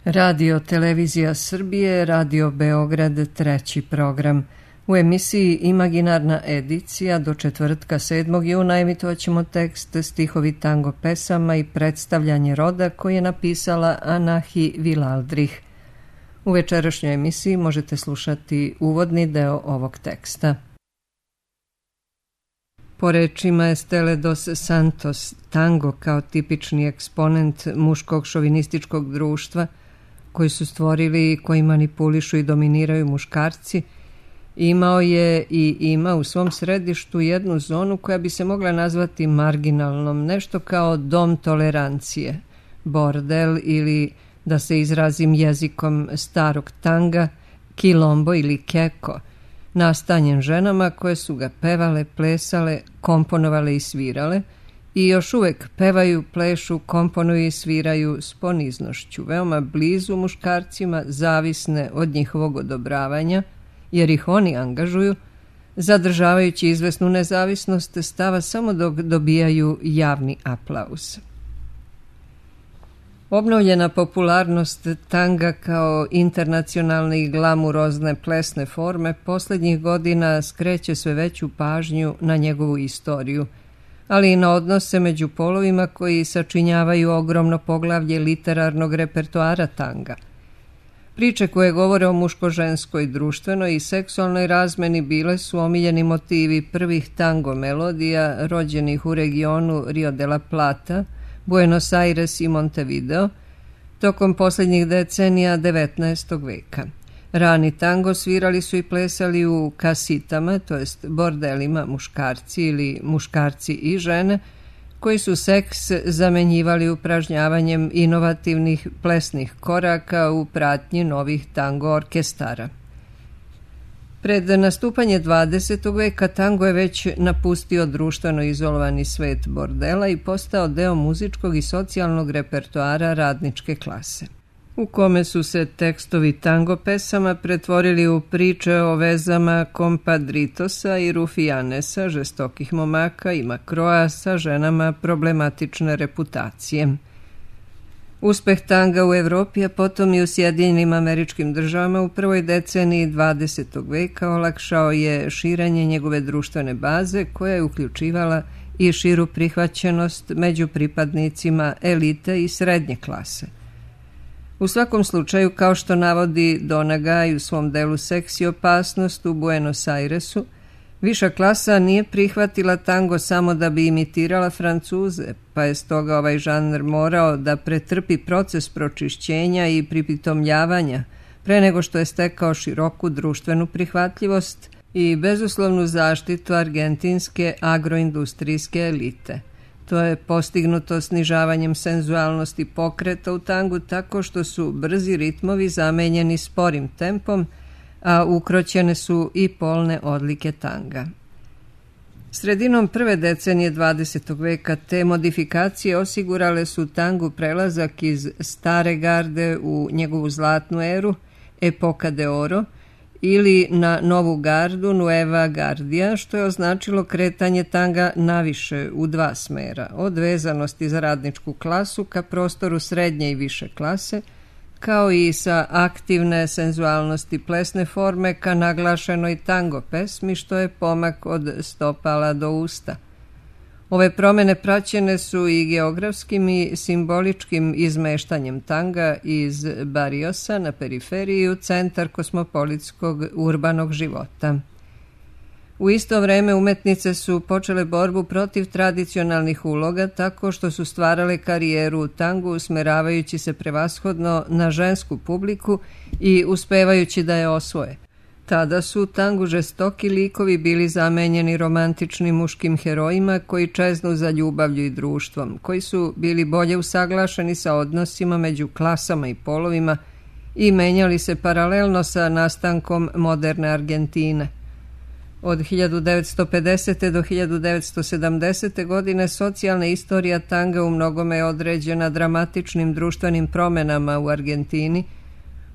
Radio Televizija Srbije, Radio Beograd, treći program. U emisiji Imaginarna edicija do četvrtka 7. juna emitovat ćemo tekst stihovi tango pesama i predstavljanje roda koji je napisala Anahi Vilaldrih. U večerašnjoj emisiji možete slušati uvodni deo ovog teksta. Po rečima Estele dos Santos, tango kao tipični eksponent muškog šovinističkog društva koji su stvorili i koji manipulišu i dominiraju muškarci, imao je i ima u svom središtu jednu zonu koja bi se mogla nazvati marginalnom, nešto kao dom tolerancije, bordel ili, da se izrazim jezikom starog tanga, kilombo ili keko, nastanjen ženama koje su ga pevale, plesale, komponovale i svirale i još uvek pevaju, plešu, komponuju i sviraju s poniznošću, veoma blizu muškarcima, zavisne od njihovog odobravanja, jer ih oni angažuju, zadržavajući izvesnu nezavisnost stava samo dok dobijaju javni aplauz. Obnovljena popularnost tanga kao internacionalne i glamurozne plesne forme posljednjih godina skreće sve veću pažnju na njegovu istoriju, ali i na odnose među polovima koji sačinjavaju ogromno poglavlje literarnog repertoara tanga. Priče koje govore o muško-ženskoj, društvenoj i seksualnoj razmeni bile su omiljeni motivi prvih tango melodija rođenih u regionu Rio de la Plata, Buenos Aires i Montevideo tokom posljednjih decenija 19. veka. Rani tango svirali su i plesali u kasitama, to jest bordelima, muškarci ili muškarci i žene, koji su seks zamenjivali upražnjavanjem inovativnih plesnih koraka u pratnji novih tango orkestara. Pred nastupanje 20. veka tango je već napustio društveno izolovani svet bordela i postao deo muzičkog i socijalnog repertoara radničke klase, u kome su se tekstovi tango pesama pretvorili u priče o vezama kompadritosa i rufijanesa, žestokih momaka i makroa sa ženama problematične reputacije. Uspeh tanga u Evropi, a potom i u Sjedinjenim Američkim Državama u prvoj deceniji 20. veka olakšao je širenje njegove društvene baze koja je uključivala i širu prihvaćenost među pripadnicima elite i srednje klase. U svakom slučaju, kao što navodi Donagaj u svom delu Seks i opasnost u Buenos Airesu, viša klasa nije prihvatila tango samo da bi imitirala Francuze, pa je stoga ovaj žanr morao da pretrpi proces pročišćenja i pripitomljavanja pre nego što je stekao široku društvenu prihvatljivost i bezuslovnu zaštitu argentinske agroindustrijske elite. To je postignuto snižavanjem senzualnosti pokreta u tangu tako što su brzi ritmovi zamenjeni sporim tempom, a ukroćene su i polne odlike tanga. Sredinom prve decenije 20. veka te modifikacije osigurale su tangu prelazak iz stare garde u njegovu zlatnu eru, epoka de oro, ili na novu gardu, Nueva Guardia, što je označilo kretanje tanga naviše u dva smera, od vezanosti za radničku klasu ka prostoru srednje i više klase, kao i sa aktivne senzualnosti plesne forme ka naglašenoj tango pesmi, što je pomak od stopala do usta. Ove promjene praćene su i geografskim i simboličkim izmeštanjem tanga iz Barriosa na periferiji u centar kosmopolitskog urbanog života. U isto vreme umetnice su počele borbu protiv tradicionalnih uloga tako što su stvarale karijeru u tangu usmeravajući se prevashodno na žensku publiku i uspevajući da je osvoje. Tada su u tangu žestoki likovi bili zamenjeni romantičnim muškim herojima koji čeznu za ljubavlju i društvom, koji su bili bolje usaglašeni sa odnosima među klasama i polovima i menjali se paralelno sa nastankom moderne Argentine. Od 1950. do 1970. godine socijalna istorija tanga u mnogome je određena dramatičnim društvenim promjenama u Argentini,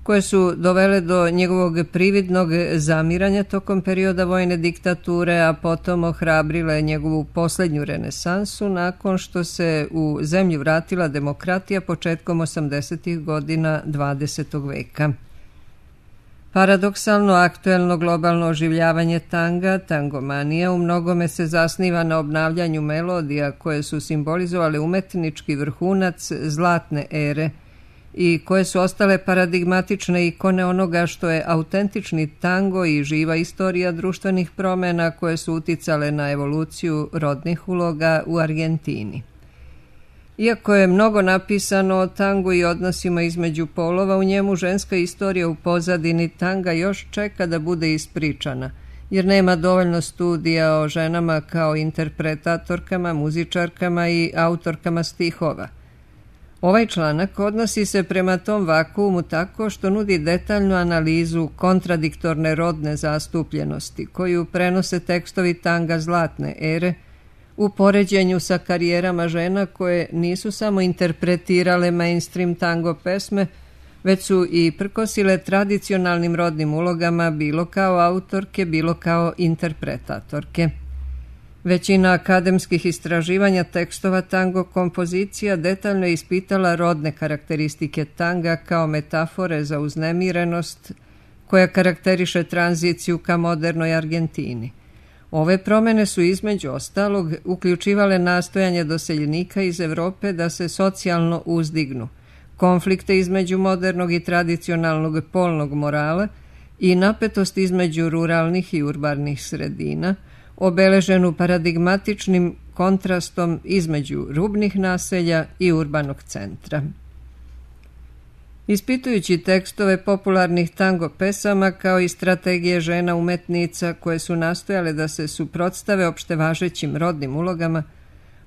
koje su dovele do njegovog prividnog zamiranja tokom perioda vojne diktature, a potom ohrabrile njegovu posljednju renesansu nakon što se u zemlju vratila demokratija početkom 80. godina 20. veka. Paradoksalno aktuelno globalno oživljavanje tanga, tangomanija, u mnogome se zasniva na obnavljanju melodija koje su simbolizovale umetnički vrhunac zlatne ere i koje su ostale paradigmatične ikone onoga što je autentični tango i živa istorija društvenih promjena koje su uticale na evoluciju rodnih uloga u Argentini. Iako je mnogo napisano o tangu i odnosima između polova, u njemu ženska istorija u pozadini tanga još čeka da bude ispričana, jer nema dovoljno studija o ženama kao interpretatorkama, muzičarkama i autorkama stihova. Ovaj članak odnosi se prema tom vakuumu tako što nudi detaljnu analizu kontradiktorne rodne zastupljenosti koju prenose tekstovi tanga zlatne ere u poređenju sa karijerama žena koje nisu samo interpretirale mainstream tango pesme, već su i prkosile tradicionalnim rodnim ulogama bilo kao autorke, bilo kao interpretatorke. Većina akademskih istraživanja tekstova tango kompozicija detaljno je ispitala rodne karakteristike tanga kao metafore za uznemirenost koja karakteriše tranziciju ka modernoj Argentini. Ove promjene su između ostalog uključivale nastojanje doseljenika iz Europe da se socijalno uzdignu, konflikte između modernog i tradicionalnog polnog morala i napetost između ruralnih i urbanih sredina, obeleženu paradigmatičnim kontrastom između rubnih naselja i urbanog centra. Ispitujući tekstove popularnih tango pesama kao i strategije žena umetnica koje su nastojale da se suprotstave opštevažećim rodnim ulogama,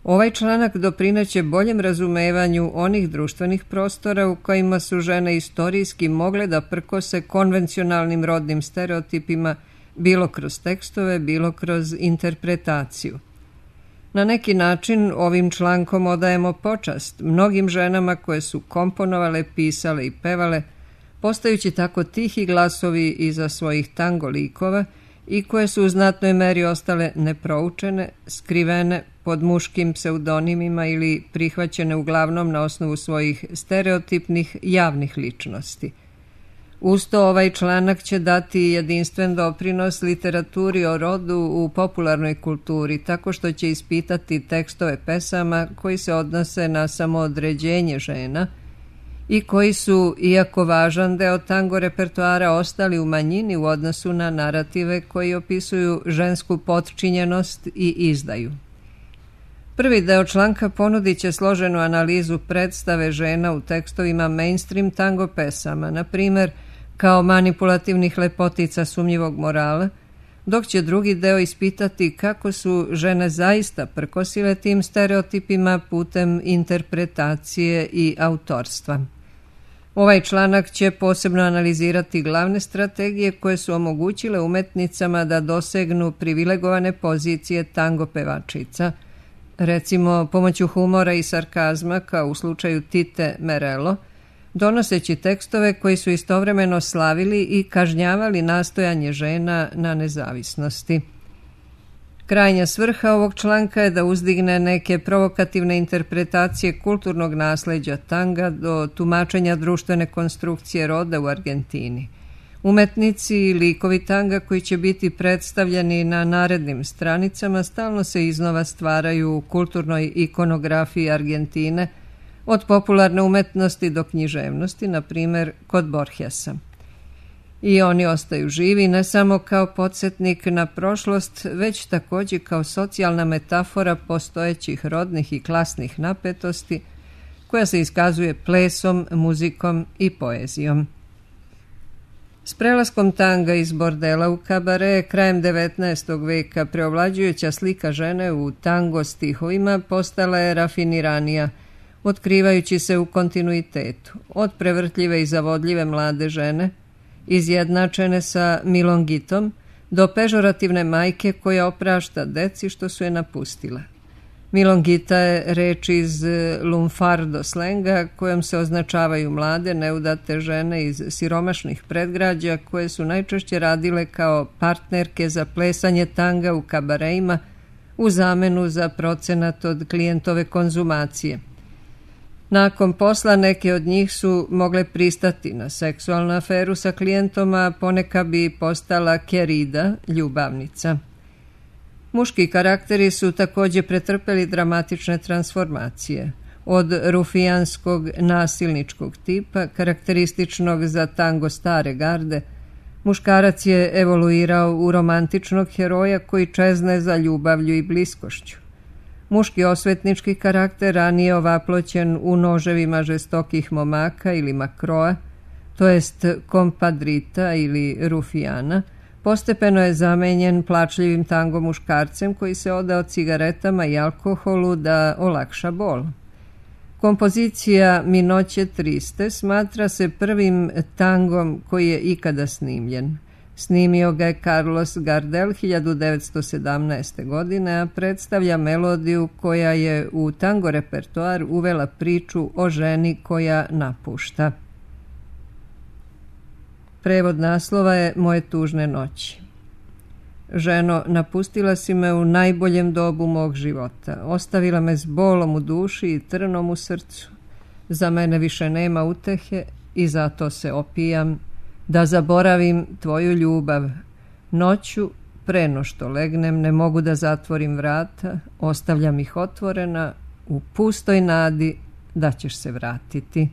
ovaj članak doprineće boljem razumevanju onih društvenih prostora u kojima su žene istorijski mogle da prkose konvencionalnim rodnim stereotipima bilo kroz tekstove, bilo kroz interpretaciju. Na neki način ovim člankom odajemo počast mnogim ženama koje su komponovale, pisale i pevale, postajući tako tihi glasovi iza svojih tango likova i koje su u znatnoj meri ostale neproučene, skrivene pod muškim pseudonimima ili prihvaćene uglavnom na osnovu svojih stereotipnih javnih ličnosti. Usto ovaj članak će dati jedinstven doprinos literaturi o rodu u popularnoj kulturi, tako što će ispitati tekstove pesama koji se odnose na samoodređenje žena i koji su, iako važan deo tango repertoara, ostali u manjini u odnosu na narative koji opisuju žensku potčinjenost i izdaju. Prvi deo članka ponudit će složenu analizu predstave žena u tekstovima mainstream tango pesama, na primjer kao manipulativnih lepotica sumnjivog morala, dok će drugi deo ispitati kako su žene zaista prkosile tim stereotipima putem interpretacije i autorstva. Ovaj članak će posebno analizirati glavne strategije koje su omogućile umetnicama da dosegnu privilegovane pozicije tango pevačica, recimo pomoću humora i sarkazma kao u slučaju Tite Merelo, donoseći tekstove koji su istovremeno slavili i kažnjavali nastojanje žena na nezavisnosti. Krajnja svrha ovog članka je da uzdigne neke provokativne interpretacije kulturnog nasleđa tanga do tumačenja društvene konstrukcije roda u Argentini. Umetnici i likovi tanga koji će biti predstavljeni na narednim stranicama stalno se iznova stvaraju u kulturnoj ikonografiji Argentine, od popularne umetnosti do književnosti, na primjer kod Borgesa. I oni ostaju živi ne samo kao podsjetnik na prošlost, već također kao socijalna metafora postojećih rodnih i klasnih napetosti, koja se iskazuje plesom, muzikom i poezijom. S prelaskom tanga iz bordela u kabare krajem 19. veka preovlađujuća slika žene u tango stihovima postala je rafiniranija, otkrivajući se u kontinuitetu, od prevrtljive i zavodljive mlade žene, izjednačene sa milongitom, do pežorativne majke koja oprašta deci što su je napustila. Milongita je reč iz lunfardo slenga kojom se označavaju mlade, neudate žene iz siromašnih predgrađa koje su najčešće radile kao partnerke za plesanje tanga u kabareima u zamenu za procenat od klijentove konzumacije. Nakon posla neke od njih su mogle pristati na seksualnu aferu sa klijentom, a poneka bi postala kerida, ljubavnica. Muški karakteri su također pretrpeli dramatične transformacije. Od rufijanskog nasilničkog tipa, karakterističnog za tango stare garde, muškarac je evoluirao u romantičnog heroja koji čezne za ljubavlju i bliskošću. Muški osvetnički karakter ranije ovaploćen u noževima žestokih momaka ili makroa, to jest kompadrita ili rufijana, postepeno je zamenjen plačljivim tango muškarcem koji se odao cigaretama i alkoholu da olakša bol. Kompozicija Mi noće triste smatra se prvim tangom koji je ikada snimljen. Snimio ga je Carlos Gardel 1917. godine, a predstavlja melodiju koja je u tango repertoar uvela priču o ženi koja napušta. Prevod naslova je Moje tužne noći. Ženo, napustila si me u najboljem dobu mog života. Ostavila me s bolom u duši i trnom u srcu. Za mene više nema utehe i zato se opijam da zaboravim tvoju ljubav. Noću, pre no što legnem, ne mogu da zatvorim vrata, ostavljam ih otvorena u pustoj nadi da ćeš se vratiti.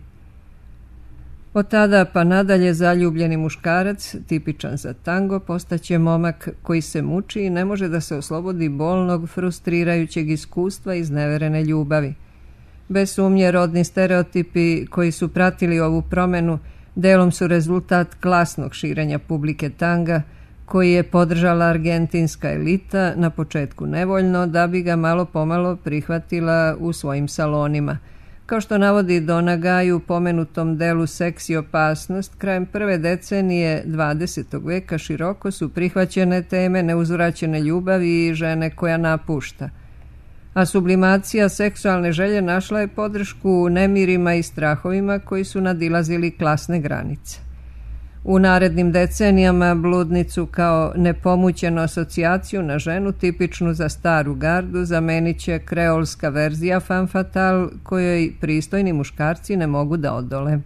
Od tada pa nadalje zaljubljeni muškarac, tipičan za tango, postaće momak koji se muči i ne može da se oslobodi bolnog, frustrirajućeg iskustva izneverene ljubavi. Bez sumnje, rodni stereotipi koji su pratili ovu promenu delom su rezultat klasnog širenja publike tanga, koji je podržala argentinska elita, na početku nevoljno, da bi ga malo pomalo prihvatila u svojim salonima. Kao što navodi Donagaj u pomenutom delu Seks i opasnost, krajem prve decenije 20. veka široko su prihvaćene teme neuzvraćene ljubavi i žene koja napušta. A sublimacija seksualne želje našla je podršku u nemirima i strahovima koji su nadilazili klasne granice. U narednim decenijama bludnicu kao nepomućenu asocijaciju na ženu tipičnu za staru gardu zamenit će kreolska verzija femme fatale kojoj pristojni muškarci ne mogu da odole.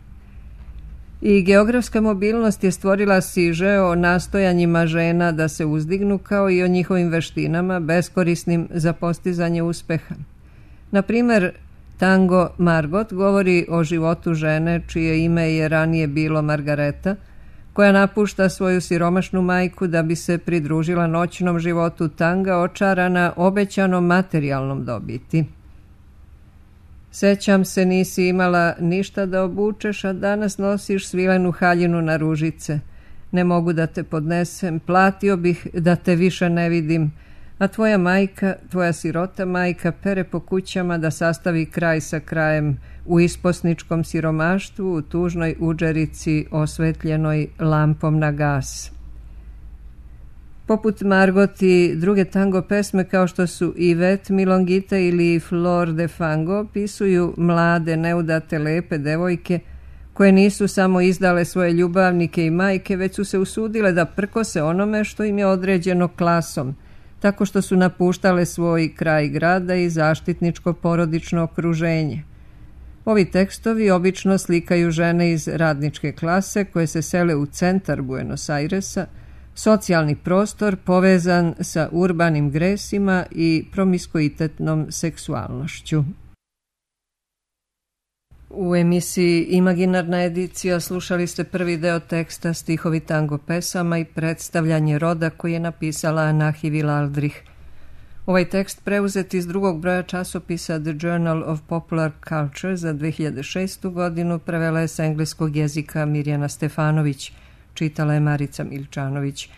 I geografska mobilnost je stvorila siže o nastojanjima žena da se uzdignu kao i o njihovim veštinama beskorisnim za postizanje uspeha. Na primer, tango Margot govori o životu žene čije ime je ranije bilo Margareta, koja napušta svoju siromašnu majku da bi se pridružila noćnom životu tanga očarana obećanom materijalnom dobiti. Sećam se, nisi imala ništa da obučeš, a danas nosiš svilenu haljinu na ružice. Ne mogu da te podnesem, platio bih da te više ne vidim, a tvoja majka, tvoja sirota majka, pere po kućama da sastavi kraj sa krajem u isposničkom siromaštvu, u tužnoj udžerici osvetljenoj lampom na gas. Poput Margot i druge tango pesme kao što su Yvette, Milongita ili Flor de Fango opisuju mlade, neudate, lepe devojke koje nisu samo izdale svoje ljubavnike i majke, već su se usudile da prkose onome što im je određeno klasom, tako što su napuštale svoj kraj grada i zaštitničko porodično okruženje. Ovi tekstovi obično slikaju žene iz radničke klase koje se sele u centar Buenos Airesa, socijalni prostor povezan sa urbanim gresima i promiskuitetnom seksualnošću. U emisiji Imaginarna edicija slušali ste prvi deo teksta Stihovi tango pesama i predstavljanje roda koji je napisala Anahi Villaldrich. Ovaj tekst preuzet iz drugog broja časopisa The Journal of Popular Culture za 2006. godinu prevela je s engleskog jezika Mirjana Stefanović, čitala je Marica Milčanović.